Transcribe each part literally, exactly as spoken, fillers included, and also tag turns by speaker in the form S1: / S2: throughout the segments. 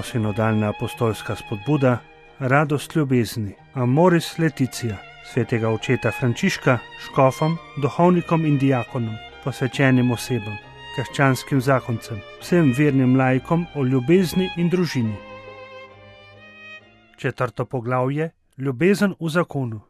S1: Posinodalna apostolska spodbuda, radost ljubezni, Amoris Laetitia, svetega očeta Frančiška, škofom, duhovnikom in diakonom, posvečenim osebam, krščanskim zakoncem, vsem vernim laikom o ljubezni in družini. Četrto poglavje, ljubezen v zakonu.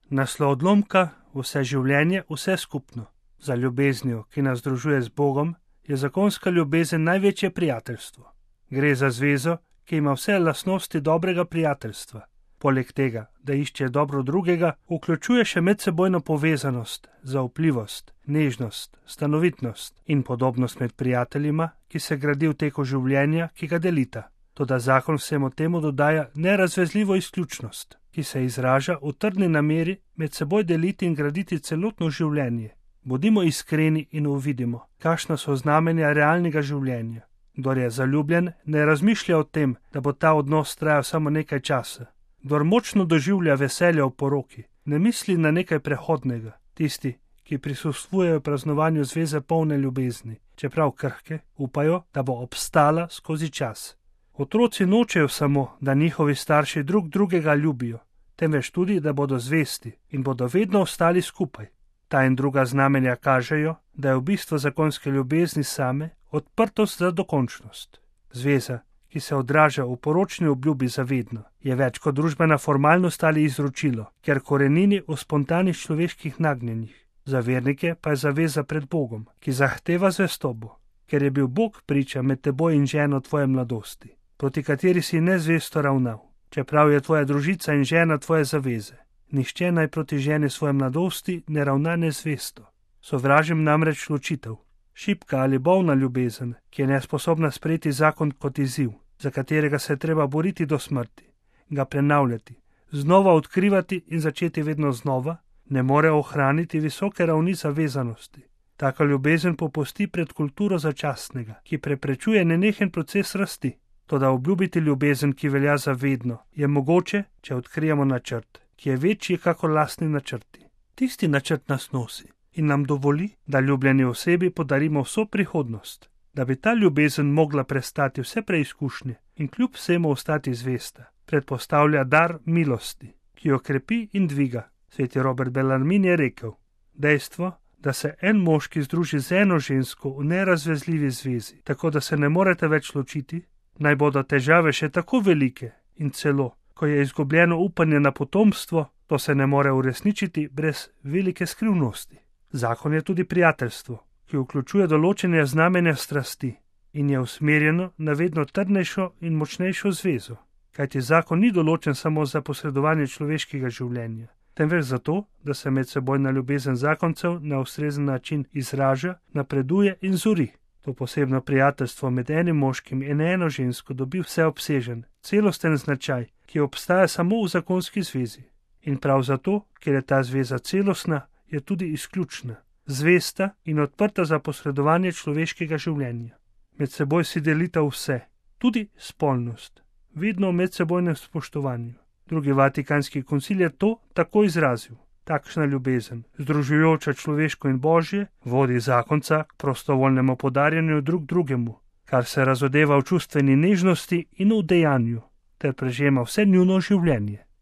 S1: Naslov odlomka, vse življenje, vse skupno. Za ljubeznijo, ki nas združuje z Bogom, je zakonska ljubezen največje prijateljstvo. Gre za zvezo, ki ima vse lastnosti dobrega prijateljstva. Poleg tega, da išče dobro drugega, vključuje še medsebojno povezanost, zaupljivost, nežnost, stanovitnost in podobnost med prijateljima, ki se gradi v teku življenja, ki ga delita. Toda zakon vsemu temu dodaja nerazvezljivo izključnost, ki se izraža v trdni nameri med seboj deliti in graditi celotno življenje. Bodimo iskreni in uvidimo, kakšna so znamenja realnega življenja. Kdor je zaljubljen, ne razmišlja o tem, da bo ta odnos trajal samo nekaj časa. Kdor močno doživlja veselje v poroki, ne misli na nekaj prehodnega. Tisti, ki prisostvujejo praznovanju zveze polne ljubezni, čeprav krhke, upajo, da bo obstala skozi čas. Otroci nočejo samo, da njihovi starši drug drugega ljubijo, temveč tudi, da bodo zvesti in bodo vedno ostali skupaj. Ta in druga znamenja kažejo, da je v bistvu zakonske ljubezni same odprtost za dokončnost. Zveza, ki se odraža v poročni obljubi za vedno, je več kot družbena formalnost ali izročilo, ker korenini v spontanih človeških nagnjenjih. Za vernike pa je zaveza pred Bogom, ki zahteva zvestobo, ker je bil Bog priča med teboj in ženo tvoje mladosti, proti kateri si nezvesto ravnal, čeprav je tvoja družica in žena tvoje zaveze. Nihče naj proti ženi svoje mladosti ne ravna nezvesto. Sovražim namreč ločitev. Šibka ali bolna ljubezen, ki je nesposobna sprejeti zakon kot izziv, za katerega se je treba boriti do smrti, ga prenavljati, znova odkrivati in začeti vedno znova, ne more ohraniti visoke ravni zavezanosti. Taka ljubezen popusti pred kulturo začasnega, ki preprečuje nenehen proces rasti. Toda obljubiti ljubezen, ki velja za vedno, je mogoče, če odkrijemo načrt, ki je večji kakor lastni načrti. Tisti načrt nas nosi in nam dovoli, da ljubljeni osebi podarimo vso prihodnost, da bi ta ljubezen mogla prestati vse preizkušnje in kljub vsemu ostati zvesta. Predpostavlja dar milosti, ki jo krepi in dviga. Sveti Robert Bellarmin je rekel: dejstvo, da se en moški združi z eno žensko v nerazvezljivi zvezi, tako da se ne morete več ločiti, naj bodo težave še tako velike in celo, ko je izgubljeno upanje na potomstvo, to se ne more uresničiti brez velike skrivnosti. Zakon je tudi prijateljstvo, ki vključuje določene znamenja strasti in je usmerjeno na vedno trdnejšo in močnejšo zvezo. Kajti zakon ni določen samo za posredovanje človeškega življenja, temveč zato, da se medsebojna ljubezen zakoncev na ustrezen način izraža, napreduje in zori. To posebno prijateljstvo med enim moškim in eno žensko dobi vseobsežen, celosten značaj, ki obstaja samo v zakonski zvezi. In prav zato, ker je ta zveza celostna, je tudi izključna, zvesta in odprta za posredovanje človeškega življenja. Med seboj si delita vse, tudi spolnost, vedno v medsebojnem spoštovanju. Drugi vatikanski koncil je to tako izrazil. Takšna ljubezen, združujoča človeško in božje, vodi zakonca k prostovoljnemu podarjanju drug drugemu, kar se razodeva v čustveni nežnosti in v dejanju, ter prežema vse njuno življenje.